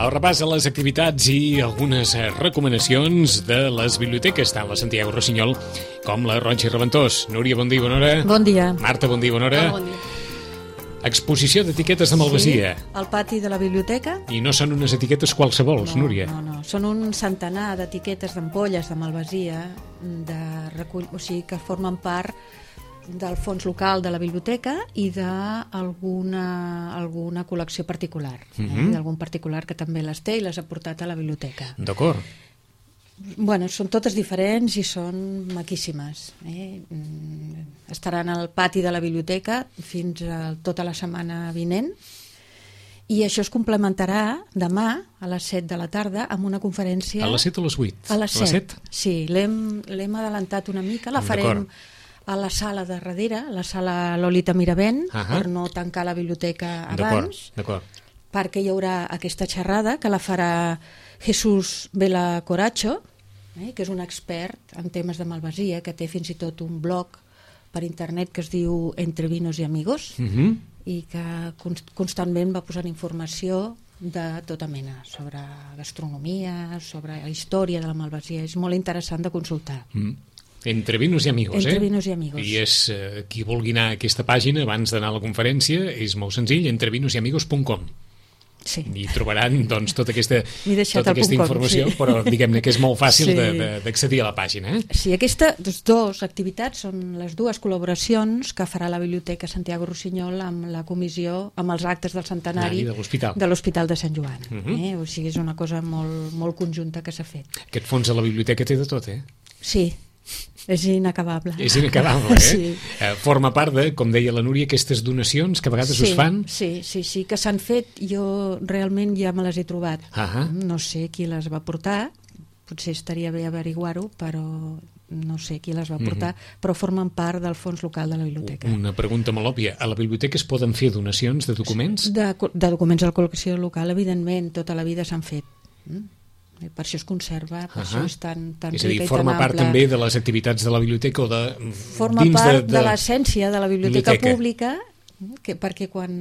El repàs a les activitats i algunes recomanacions de les biblioteques, tant la Santiago Rossinyol com la Ronchi Reventós. Núria, bon dia, bona hora. Bon dia. Marta, bon dia, bona hora. Bon dia. Exposició d'etiquetes de Malvasia. Sí, al pati de la biblioteca. I no són unes etiquetes qualsevols, Núria. No. Són un centenar d'etiquetes d'ampolles de Malvasia o sigui, que formen part del fons local de la biblioteca i d'alguna col·lecció particular, d'algun particular que també les té i les ha portat a la biblioteca. D'acord. Bueno, són totes diferents i són maquíssimes. Estaran al pati de la biblioteca fins a tota la setmana vinent i això es complementarà demà a les 7 de la tarda amb una conferència... A les 7 o a les 8? A les 7. Sí, l'hem adelantat una mica, la farem a la sala de darrere, la sala Lolita Miravent, per no tancar la biblioteca abans, perquè hi haurà aquesta xerrada que la farà Jesús Vela Coracho, que és un expert en temes de Malvasia, que té fins i tot un blog per internet que es diu Entre Vinos y Amigos, i que constantment va posant informació de tota mena, sobre gastronomia, sobre la història de la Malvasia. És molt interessant de consultar. Entre Vinos y Amigos, Entre Vinos y Amigos. I és, qui vulgui anar a aquesta pàgina abans d'anar a la conferència, és molt senzill, entrevinosyamigos.com. Sí. I trobaran doncs, tota aquesta informació, sí. Però diguem-ne que és molt fàcil d'accedir a la pàgina. Sí, aquestes dues activitats són les dues col·laboracions que farà la Biblioteca Santiago Rossinyol amb la comissió, amb els actes del centenari de l'Hospital de Sant Joan. O sigui, és una cosa molt, molt conjunta que s'ha fet. Aquest fons de la biblioteca té de tot, Sí. És inacabable. És inacabable, Sí. Forma part de, com deia la Núria, aquestes donacions que a vegades us fan? Sí, que s'han fet. Jo realment ja me les he trobat. No sé qui les va portar, potser estaria bé averiguar-ho, però no sé qui les va portar, però formen part del fons local de la biblioteca. Una pregunta molt òbvia. A la biblioteca es poden fer donacions de documents? De documents a la col·lecció local, evidentment, tota la vida s'han fet. Per això es conserva, per això és tan rica i tan ampla. És a dir, forma part també de les activitats de la biblioteca o de... Forma part de l'essència de la biblioteca pública, perquè quan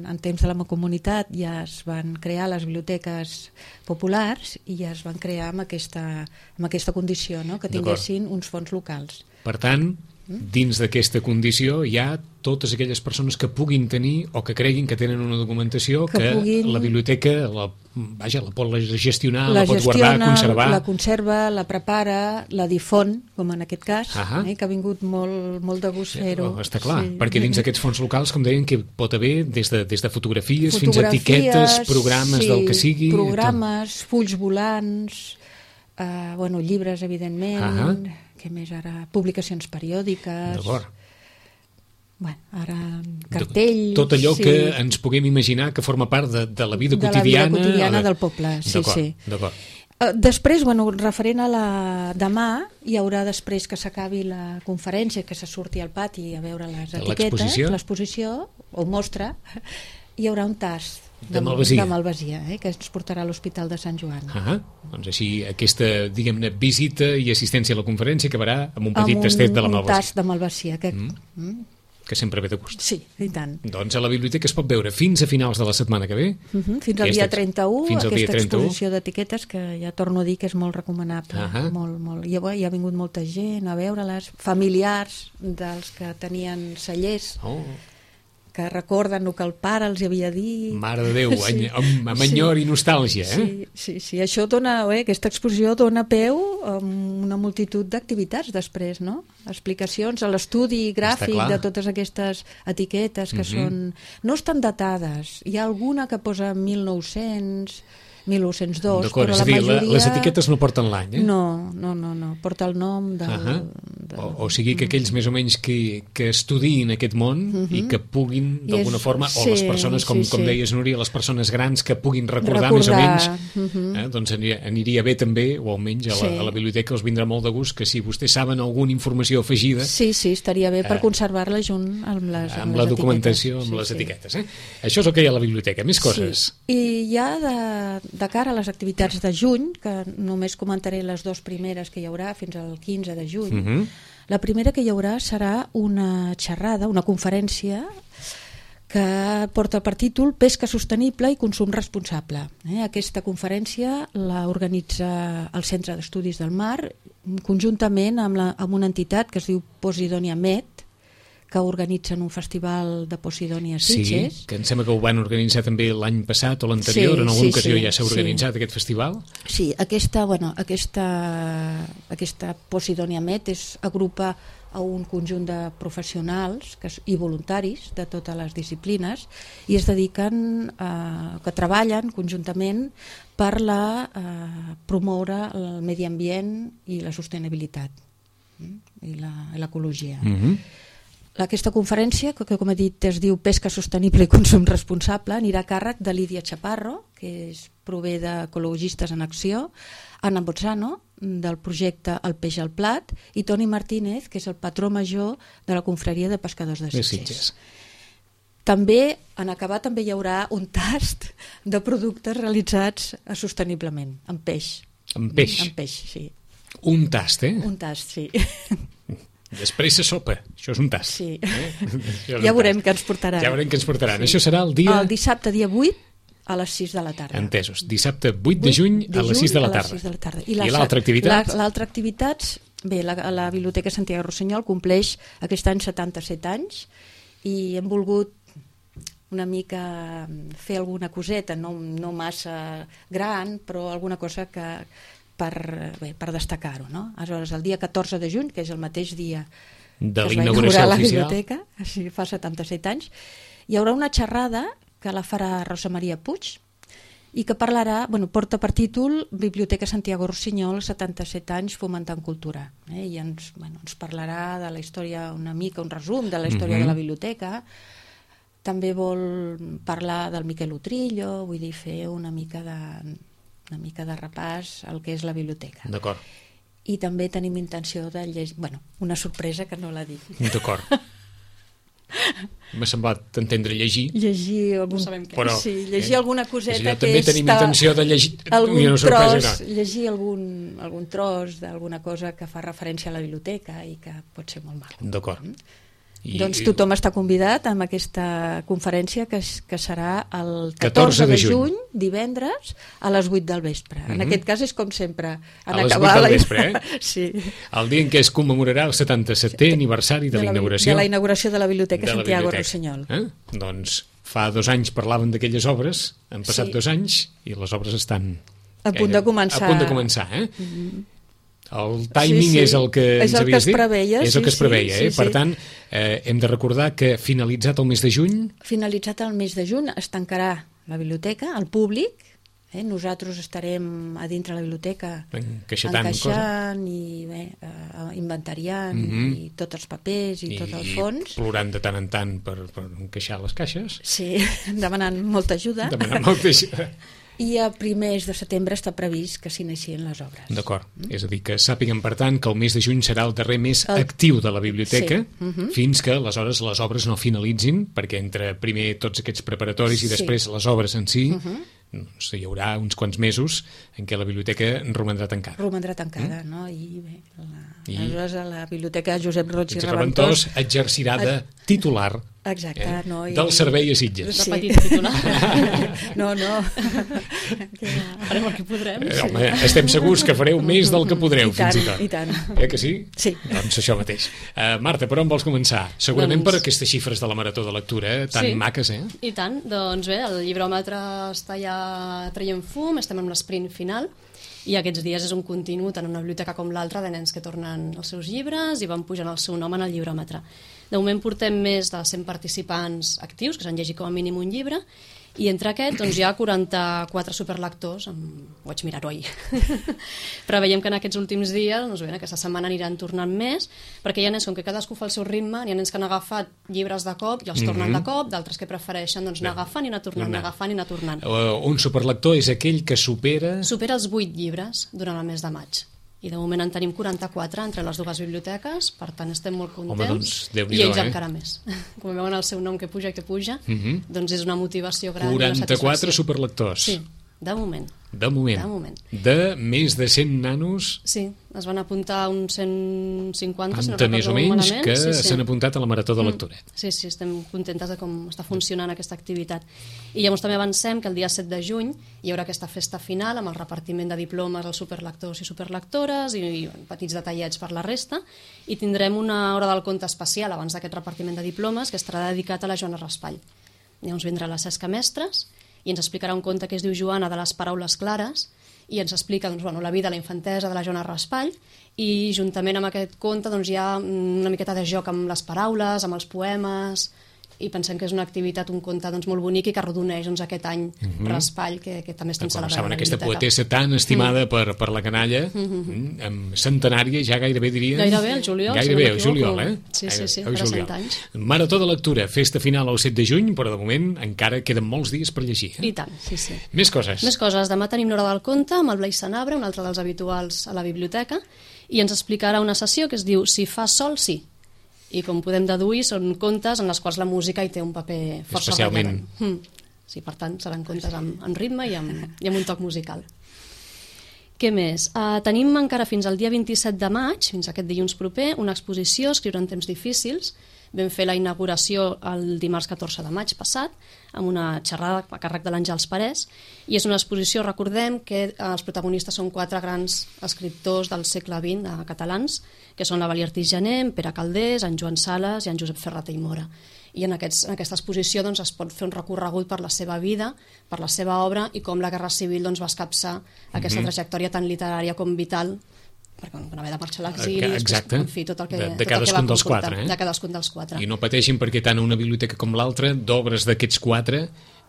en temps de la comunitat ja es van crear les biblioteques populars i ja es van crear amb aquesta condició, que tinguessin uns fons locals. Per tant, dins d'aquesta condició hi ha totes aquelles persones que puguin tenir o que creguin que tenen una documentació que la biblioteca la pot gestionar, la pot guardar, conservar. La conserva, la prepara, la difon, com en aquest cas, que ha vingut molt de gust fer-ho. Està clar, perquè dins d'aquests fons locals, com deien, que pot haver des de fotografies fins a etiquetes, programes del que sigui. Programes, fulls volants, llibres, evidentment, què més ara? Publicacions periòdiques. D'acord. Ara cartells... Tot allò que ens puguem imaginar que forma part de la vida quotidiana... De la vida quotidiana del poble, sí. D'acord. Després, referent a demà, hi haurà després que s'acabi la conferència, que se surti al pati a veure les etiquetes, l'exposició, o mostra, hi haurà un tast de Malvasia, que ens portarà a l'Hospital de Sant Joan. Doncs així aquesta, diguem-ne, visita i assistència a la conferència acabarà amb un petit tastet de la Malvasia. Un tast de Malvasia, que sempre ve de gust. Sí, i tant. Doncs a la biblioteca es pot veure fins a finals de la setmana que ve. Fins al dia 31, aquesta exposició d'etiquetes que ja torno a dir que és molt recomanable. Molt. Hi ha vingut molta gent a veure-les, familiars dels que tenien cellers, que recorden el que el pare els havia dit. Mare de Déu, amb enyor i nostàlgia. Sí, això dona, aquesta exposició dona peu a una multitud d'activitats després, no? Explicacions, a l'estudi gràfic de totes aquestes etiquetes que són... No estan datades, hi ha alguna que posa 1900... 1902, però la majoria... Les etiquetes no porten l'any, No, porta el nom o sigui que aquells més o menys que estudiïn aquest món i que puguin, d'alguna forma, o les persones, com deies, Núria, les persones grans que puguin recordar més o menys, doncs aniria bé també, o almenys a la biblioteca els vindrà molt de gust que si vostès saben alguna informació afegida... Sí, estaria bé per conservar-la junt amb les etiquetes. Amb la documentació, amb les etiquetes. Això és el que hi ha a la biblioteca. Més coses. I ja de cara a les activitats de juny, que només comentaré les dues primeres que hi haurà fins al 15 de juny, la primera que hi haurà serà una xerrada, una conferència que porta per títol Pesca sostenible i consum responsable. Aquesta conferència la organitza el Centre d'Estudis del Mar conjuntament amb una entitat que es diu Posidonia Med, que organitzen un festival de Posidonia a Sitges. Sí, que em sembla que ho van organitzar també l'any passat o l'anterior, en alguna ocasió ja s'ha organitzat aquest festival. Sí, aquesta Posidonia Med agrupa a un conjunt de professionals i voluntaris de totes les disciplines i es dediquen, que treballen conjuntament per promoure el medi ambient i la sostenibilitat i l'ecologia. Aquesta conferència, que com he dit es diu Pesca sostenible i consum responsable, anirà a càrrec de Lídia Chaparro, que prové d'Ecologistes en Acció, Anna Bozzano, del projecte El Peix al Plat, i Toni Martínez, que és el patró major de la confraria de pescadors de Sitges. També, en acabar, també hi haurà un tast de productes realitzats sosteniblement, amb peix. Amb peix? Amb peix, sí. Un tast, Un tast, sí. Després se sopa, això és un tast. Sí. Ja veurem què ens portaran. Ja veurem què ens portaran. Això serà el dia... El dissabte, dia 8, a les 6 de la tarda. Entesos. Dissabte 8 de juny a les 6 de la tarda. I l'altra activitat? L'altra activitat, bé, la Biblioteca Santiago Rossinyol compleix aquest any 77 anys i hem volgut una mica fer alguna coseta, no massa gran, però alguna cosa que per destacar-ho, no? Aleshores, el dia 14 de juny, que és el mateix dia de que es va inaugurar la biblioteca, així fa 77 anys, hi haurà una xerrada que la farà Rosa Maria Puig i que parlarà, porta per títol Biblioteca Santiago Rossinyol, 77 anys fomentant cultura. I ens parlarà de la història, una mica, un resum de la història de la biblioteca. També vol parlar del Miquel Utrillo, vull dir, fer una mica de repàs al que és la biblioteca. D'acord. I també tenim intenció de llegir... una sorpresa que no la dic. D'acord. M'ha semblat entendre llegir. Llegir algun... No sabem què. Però, llegir alguna coseta que també tenim intenció de llegir... Llegir algun tros d'alguna cosa que fa referència a la biblioteca i que pot ser molt maco. D'acord. Doncs tothom està convidat a aquesta conferència que serà el 14 de juny, divendres, a les 8 del vespre. En aquest cas és com sempre. A les 8 del vespre, Sí. El dia en què es commemorarà el 77è aniversari de la inauguració. De la inauguració de la Biblioteca Santiago Rossinyol. Doncs fa 2 anys parlàvem d'aquelles obres, han passat 2 anys i les obres estan... A punt de començar. A punt de començar, El timing és el que ens havies dit? És el que es preveia. Per tant, hem de recordar que finalitzat el mes de juny... Finalitzat el mes de juny es tancarà la biblioteca al públic. Nosaltres estarem a dintre la biblioteca encaixant i inventariant i tots els papers i tot el fons. I plorant de tant en tant per encaixar les caixes. Sí, demanant molta ajuda. I a primers de setembre està previst que s'inicien les obres. D'acord. És a dir, que sàpiguen, per tant, que el mes de juny serà el darrer mes actiu de la biblioteca, fins que aleshores les obres no finalitzin, perquè entre primer tots aquests preparatoris i després les obres en si, hi haurà uns quants mesos en què la biblioteca romandrà tancada. Romandrà tancada, no? I bé, aleshores la biblioteca Josep Roig i Reventós exercirà de titular del servei a Sitges. Repetit titular. No. Farem el que podrem. Home, estem segurs que fareu més del que podreu, fins i tot. I tant. Que sí? Sí. Doncs això mateix. Marta, per on vols començar? Segurament per aquestes xifres de la Marató de Lectura, tan maques, I tant. Doncs bé, el llibròmetre està ja traient fum, estem en l'esprint final, i aquests dies és un continu, tant en una biblioteca com l'altra, de nens que tornen els seus llibres i van pujant el seu nom en el llibròmetre. De moment portem més de 100 participants actius, que s'han llegit com a mínim un llibre, i entre aquests hi ha 44 superlectors, ho vaig mirar-ho ahir. Però veiem que en aquests últims dies, aquesta setmana aniran tornant més, perquè hi ha nens com que cadascú fa el seu ritme, hi ha nens que han agafat llibres de cop i els tornen de cop, d'altres que prefereixen anar agafant i anar tornant, Un superlector és aquell que supera... Supera els 8 llibres durant el mes de maig. I de moment en tenim 44 entre les dues biblioteques, per tant estem molt contents. I ells encara més. Com veuen el seu nom que puja, doncs és una motivació gran. 44 superlectors. Sí. De moment. De moment. De més de 100 nanos... Sí, es van apuntar uns 150, si no més o menys, malament, que s'han apuntat a la Marató de Lectura. Sí, estem contentes de com està funcionant aquesta activitat. I llavors també avancem que el dia 7 de juny hi haurà aquesta festa final amb el repartiment de diplomes als superlectors i superlectores i petits detallets per la resta, i tindrem una hora del conte especial abans d'aquest repartiment de diplomes que estarà dedicat a la Joana Raspall. Llavors vindrà la Cesca Mestres i ens explicarà un conte que es diu Joana de les paraules clares, i ens explica la vida, la infantesa de la Joana Raspall, i juntament amb aquest conte hi ha una miqueta de joc amb les paraules, amb els poemes, i pensem que és una activitat, un conte molt bonic i que arrodoneix aquest any Raspall, que també estem celebrant a la biblioteca. Aquesta poetessa tan estimada per la canalla, centenària, ja gairebé diria... Gairebé, el juliol. Gairebé, el juliol, eh? Sí, farà 100 anys. Marató de lectura, festa final el 7 de juny, però de moment encara queden molts dies per llegir. I tant, sí. Més coses. Demà tenim l'hora del conte amb el Blai Sanabra, un altre dels habituals a la biblioteca, i ens explicarà una sessió que es diu Si fa sol, sí. I com podem deduir, són contes en les quals la música hi té un paper força rellevant. Sí, per tant, seran contes amb ritme i amb un toc musical. Què més? Tenim encara fins al dia 27 de maig, fins aquest dilluns proper, una exposició, Escriure en temps difícils. Vam fer la inauguració el dimarts 14 de maig passat, amb una xerrada a càrrec de l'Àngels Parés, i és una exposició, recordem, que els protagonistes són 4 grans escriptors del segle XX catalans, que són la Valia Artís Jané, en Pere Calders, en Joan Sales i en Josep Ferrater i Mora. I en aquesta exposició es pot fer un recorregut per la seva vida, per la seva obra, i com la Guerra Civil va escapçar aquesta trajectòria tan literària com vital, perquè van haver de marxar a l'exili, en fi, tot el que de cadascun dels 4, de cadascun dels 4. I no pateixin perquè tant una biblioteca com l'altra, d'obres d'aquests 4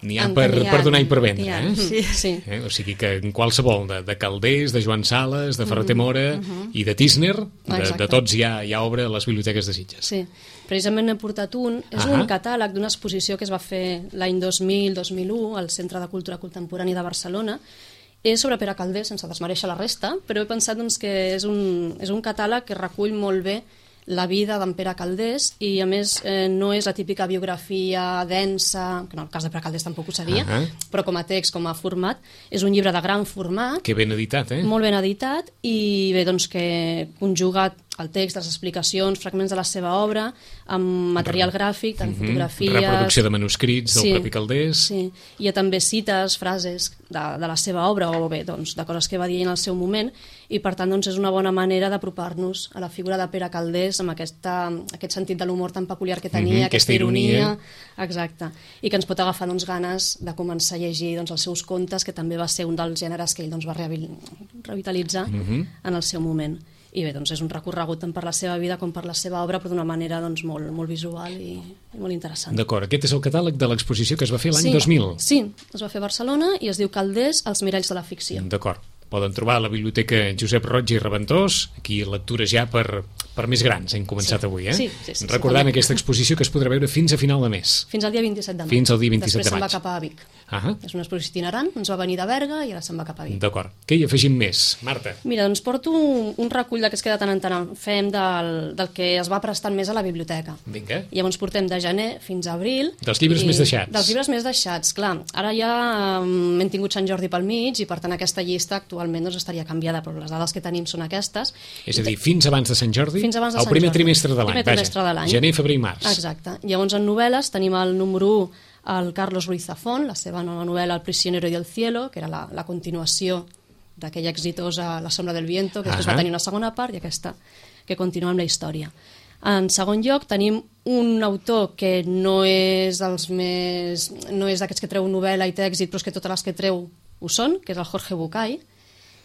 n'hi ha per donar i per vendre. Sí. O sigui que en qualsevol, de Calders, de Joan Sales, de Ferrater Mora i de Tísner, de tots hi ha obra a les biblioteques de Sitges. Sí, precisament n'he portat un. És un catàleg d'una exposició que es va fer l'any 2000-2001 al Centre de Cultura Contemporània de Barcelona. És sobre Pere Calders, sense desmereixer la resta, però he pensat que és un catàleg que recull molt bé la vida d'en Pere Calders, i a més no és la típica biografia densa, que en el cas de Pere Calders tampoc ho seria, però com a text, com a format, és un llibre de gran format. Que ben editat, Molt ben editat, i bé, que conjuga el text, les explicacions, fragments de la seva obra, amb material gràfic, tant fotografies... Reproducció de manuscrits del propi Calders... Sí, hi ha també cites, frases de la seva obra, o bé, de coses que va dir en el seu moment, i per tant és una bona manera d'apropar-nos a la figura de Pere Calders amb aquest sentit de l'humor tan peculiar que tenia, aquesta ironia... Exacte, i que ens pot agafar ganes de començar a llegir els seus contes, que també va ser un dels gèneres que ell va revitalitzar en el seu moment. I bé, és un recorregut tant per la seva vida com per la seva obra, però d'una manera molt visual i molt interessant. D'acord, aquest és el catàleg de l'exposició que es va fer l'any 2000. Sí, es va fer a Barcelona i es diu Calders, els miralls de la ficció. D'acord, poden trobar a la Biblioteca Josep Roig i Reventós, aquí lectures ja per més grans, hem començat avui, Sí. Recordant aquesta exposició que es podrà veure fins a final de mes. Fins al dia 27 de maig. Fins al dia 27 de maig. Després se'n va cap a Vic. És una exposició itinerant, ens va venir de Berga i ara se'n va cap a Vic. D'acord. Què hi afegim més, Marta? Mira, porto un recull d'aquests que de tant en tant fem del que es va prestant més a la biblioteca. Vinga. Llavors portem de gener fins a abril. Dels llibres més deixats. Dels llibres més deixats, clar. Ara ja hem tingut Sant Jordi pel mig i per tant aquesta llista actualment estaria canviada, però les dades que tenim són aquestes. És a dir, fins abans de Sant Jordi? Fins abans de Sant Jordi. El primer trimestre de l'any. Gener, febrer i març. Exacte. Llavors en novel·les tenim el número 1, el Carlos Ruiz Zafón, la seva nova novel·la El prisionero y el cielo, que era la continuació d'aquella exitosa La sombra del viento, que després va tenir una segona part, i aquesta que continua amb la història. En segon lloc tenim un autor que no és d'aquests que treu novel·la i té èxit, però és que totes les que treu ho són, que és el Jorge Bucay.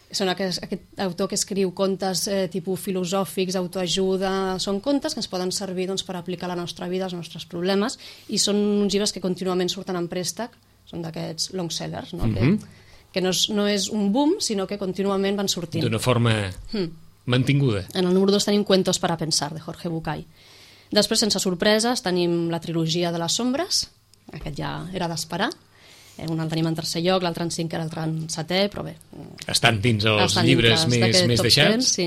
Són aquest autor que escriu contes tipus filosòfics, autoajuda, són contes que ens poden servir per aplicar a la nostra vida, als nostres problemes, i són uns llibres que contínuament surten en préstec, són d'aquests long sellers, que no és un boom, sinó que contínuament van sortint. D'una forma mantinguda. En el número 2 tenim Cuentos para pensar, de Jorge Bucay. Després, sense sorpreses, tenim la trilogia de les sombres, aquest ja era d'esperar. Un el tenim en tercer lloc, l'altre en cinquè, l'altre en setè, però bé... Estan dins els llibres més deixats. Sí.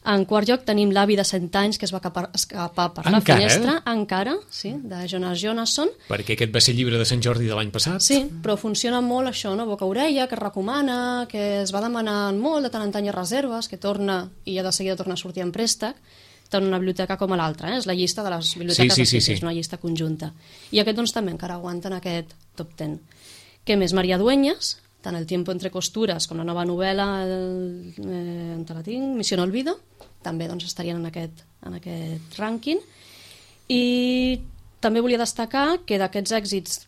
En quart lloc tenim L'avi de 100 anys, que es va escapar per la finestra. Encara, sí, de Jonas Jonasson. Perquè aquest va ser el llibre de Sant Jordi de l'any passat. Sí, però funciona molt això, no? Boca-orella, que es recomana, que es va demanant molt de tant en tant a reserves, que torna i ja de seguida torna a sortir en préstec, tant una biblioteca com a l'altra. És la llista de les biblioteques és una llista conjunta. I aquest doncs també encara aguanta en aquest top 10. Què més? Maria Dueñas, tant El tiempo entre costuras com la nova novel·la on te la tinc, Misión Olvido, també doncs estarien en aquest rànquing. I també volia destacar que d'aquests èxits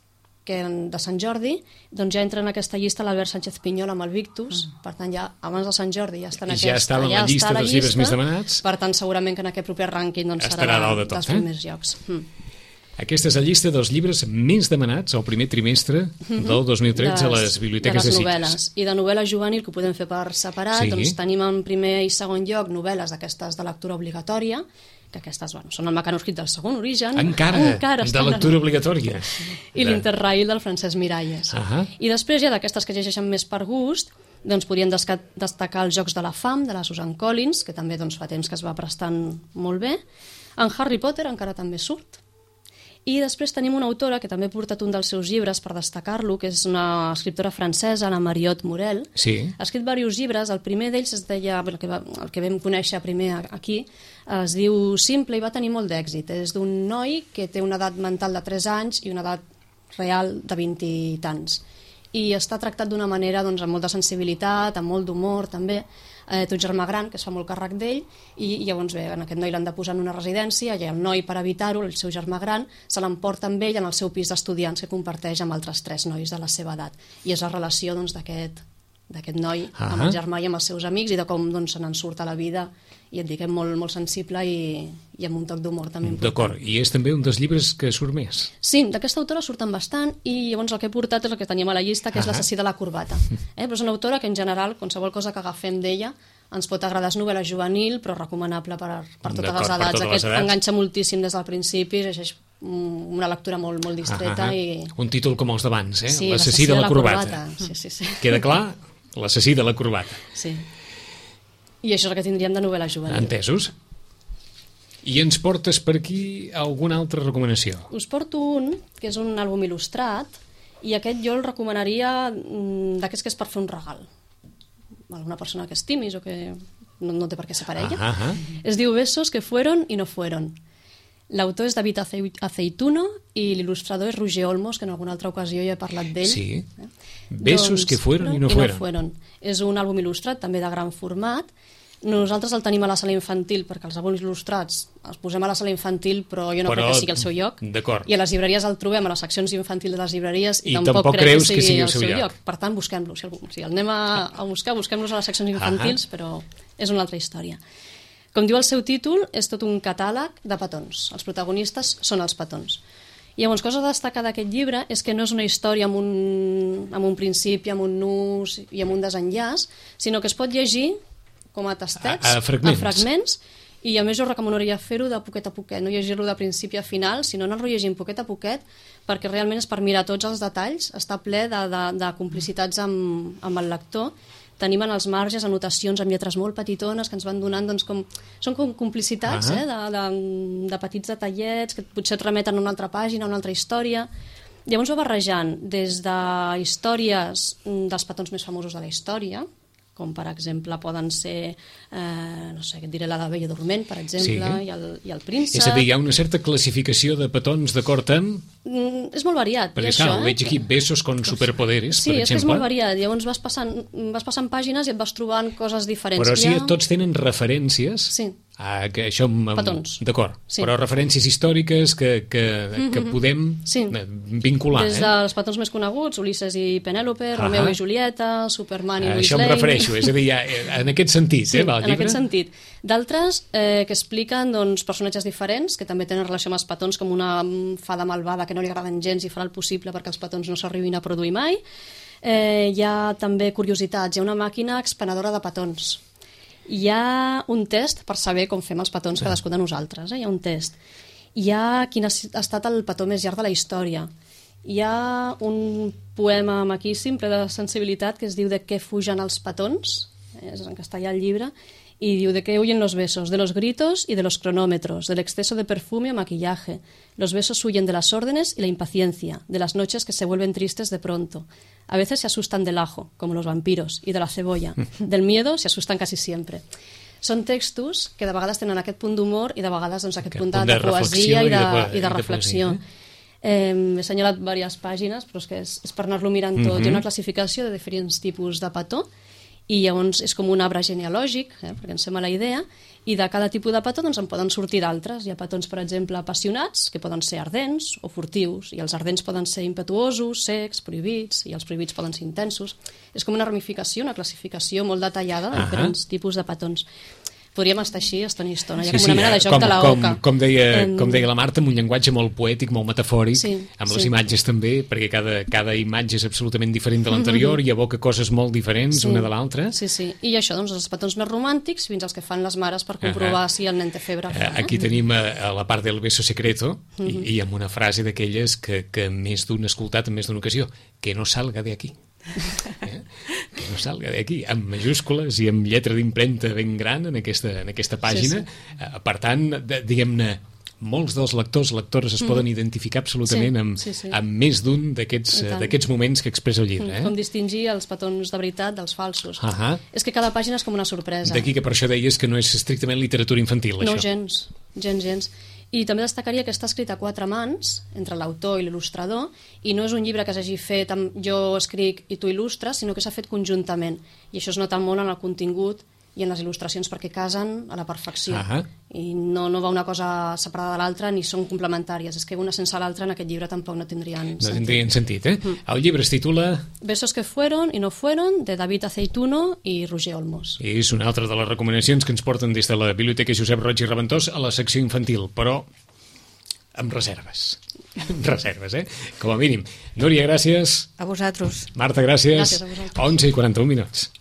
de Sant Jordi doncs ja entra en aquesta llista l'Albert Sánchez Pinyol amb el Victus, per tant ja abans de Sant Jordi ja està en aquesta, ja estava en la llista dels llibres més demanats, per tant segurament que en aquest proper rànquing doncs serà dels primers llocs. Aquesta és la llista dels llibres més demanats al primer trimestre del 2013 a les biblioteques de Sitges. I de novel·la juvenil, que ho podem fer per separat, doncs tenim en primer i segon lloc novel·les d'aquestes de lectura obligatòria, que aquestes són el mecanoscrit del segon origen. Encara de lectura obligatòria. I l'Interrail del Francesc Miralles. I després ja d'aquestes que llegeixen més per gust, doncs podríem destacar els Jocs de la Fam, de la Susan Collins, que també fa temps que es va prestant molt bé. En Harry Potter encara també surt. I després tenim una autora que també ha portat un dels seus llibres per destacar-lo, que és una escriptora francesa, la Mariotte Morel. Ha escrit diversos llibres. El primer d'ells es deia, el que vam conèixer primer aquí, es diu Simple i va tenir molt d'èxit. És d'un noi que té una edat mental de 3 anys i una edat real de 20 i tants. I està tractat d'una manera amb molta sensibilitat, amb molt d'humor també. Té un germà gran que es fa molt càrrec d'ell i llavors bé, en aquest noi l'han de posar en una residència i el noi, per evitar-ho, el seu germà gran se l'emporta amb ell en el seu pis d'estudiants que comparteix amb altres 3 nois de la seva edat, i és la relació d'aquest noi amb el germà i amb els seus amics i de com se n'en surt a la vida, i et dic, molt, molt sensible i amb un toc d'humor també important. D'acord, i és també un dels llibres que surt més. Sí, d'aquesta autora surten bastant, i llavors el que he portat és el que teníem a la llista, que és L'assassí de la corbata. Però és una autora que en general, qualsevol cosa que agafem d'ella ens pot agradar. És novel·la juvenil, però recomanable per totes les edats. Aquest enganxa moltíssim des del principi, és una lectura molt, molt distreta. Un títol com els d'abans, Sí, L'assassí de la corbata. Sí. Queda clar? L'assassí de la corbata. Sí. I això és el que tindríem de novel·la juvenil. Entesos. I ens portes per aquí alguna altra recomanació? Us porto un, que és un àlbum il·lustrat, i aquest jo el recomanaria d'aquests que és per fer un regal. Alguna persona que estimis o que no té per què ser parella. Es diu Besos que fueron y no fueron. L'autor és David Aceituno i l'il·lustrador és Roger Olmos, que en alguna altra ocasió ja he parlat d'ell. Sí. Besos que fueron y no fueron. És un àlbum il·lustrat, també de gran format. Nosaltres el tenim a la sala infantil, perquè els àlbums il·lustrats els posem a la sala infantil, però jo no crec que sigui el seu lloc. I a les llibreries el trobem, a les seccions infantils de les llibreries, i tampoc crec que sigui el seu lloc. Per tant, busquem-lo. Si el anem a buscar, busquem-los a les seccions infantils, però és una altra història. Com diu el seu títol, és tot un catàleg de petons. Els protagonistes són els petons. I llavors, cosa a destacar d'aquest llibre és que no és una història amb un principi, amb un nus i amb un desenllaç, sinó que es pot llegir com a tastets, a fragments, i a més jo recomanaria fer-ho de poquet a poquet, no llegir-lo de principi a final, sinó anar-lo llegint poquet a poquet, perquè realment és per mirar tots els detalls, està ple de complicitats amb el lector. Tenim en els marges anotacions amb lletres molt petitones que ens van donant, són com complicitats de petits detallets que potser et remeten a una altra pàgina, a una altra història. Llavors va barrejant des de històries dels petons més famosos de la història, com per exemple poden ser, no sé, què et diré, la Bella Dorment, per exemple, i el Príncep. És a dir, hi ha una certa classificació de petons d'acord amb... És molt variat. Perquè clar, veig aquí Besos con superpoderes, per exemple. Sí, és que és molt variat. Llavors vas passant pàgines i et vas trobant coses diferents. Però sí, tots tenen referències... Sí. Això, petons. D'acord, però referències històriques que podem vincular. Des dels petons més coneguts, Ulisses i Penèlope, Romeo i Julieta, Superman i Lois Lane. Això em refereixo, és a dir, en aquest sentit, va el llibre? En aquest sentit. D'altres que expliquen personatges diferents, que també tenen relació amb els petons, com una fada malvada que no li agraden gens i farà el possible perquè els petons no s'arribin a produir mai. Hi ha també curiositats, hi ha una màquina expenedora de petons. Hi ha un test per saber com fem els petons cadascun de nosaltres. Hi ha un test. Hi ha quin ha estat el petó més llarg de la història. Hi ha un poema maquíssim, ple de sensibilitat, que es diu De què fugen els petons, és en castellà el llibre, y diu: ¿de qué huyen los besos? De los gritos y de los cronómetros, del exceso de perfume o maquillaje. Los besos huyen de las órdenes y la impaciencia, de las noches que se vuelven tristes de pronto. A veces se asustan del ajo, como los vampiros, y de la cebolla. Del miedo se asustan casi siempre. Són textos que de vegades tenen aquest punt d'humor i de vegades doncs, aquest punt de poesia i de reflexió. He assenyalat diverses pàgines, però és per anar-lo mirant tot. Hi ha una classificació de diferents tipus de petó, i llavors és com un arbre genealògic, perquè ens sembla la idea, i de cada tipus de petó doncs, en poden sortir d'altres. Hi ha petons, per exemple, apassionats, que poden ser ardents o furtius, i els ardents poden ser impetuosos, secs, prohibits, i els prohibits poden ser intensos. És com una ramificació, una classificació molt detallada de diferents tipus de petons. Podríem estar així estona i estona, hi ha com una mena de joc de la oca. Com deia la Marta, amb un llenguatge molt poètic, molt metafòric, amb les imatges també, perquè cada imatge és absolutament diferent de l'anterior i evoca coses molt diferents una de l'altra. Sí, i això, doncs, els petons més romàntics fins als que fan les mares per comprovar si el nen té febre. Aquí tenim a la part del beso secreto i amb una frase d'aquelles que més d'un ha escoltat en més d'una ocasió: que no salga de aquí. Que no salga d'aquí, amb majúscules i amb lletra d'impremta ben gran en aquesta pàgina. Per tant, diguem-ne, molts dels lectors es poden identificar absolutament amb més d'un d'aquests moments que expressa el llibre. Com distingir els petons de veritat dels falsos. És que cada pàgina és com una sorpresa. D'aquí que per això deies que no és estrictament literatura infantil, això. No, gens. I també destacaria que està escrit a 4 mans, entre l'autor i l'il·lustrador, i no és un llibre que s'hagi fet amb jo escric i tu il·lustres, sinó que s'ha fet conjuntament. I això es nota molt en el contingut i en les il·lustracions, perquè casen a la perfecció. I no va una cosa separada de l'altra, ni són complementàries. És que una sense l'altra en aquest llibre tampoc no tindrien sentit. No tindrien sentit, El llibre es titula Besos que fueron y no fueron, de David Aceituno i Roger Olmos. I és una altra de les recomanacions que ens porten des de la Biblioteca Josep Roig i Reventós a la secció infantil, però amb reserves. Amb reserves, com a mínim. Núria, gràcies. A vosaltres. Marta, gràcies. Gràcies a vosaltres. 11:41.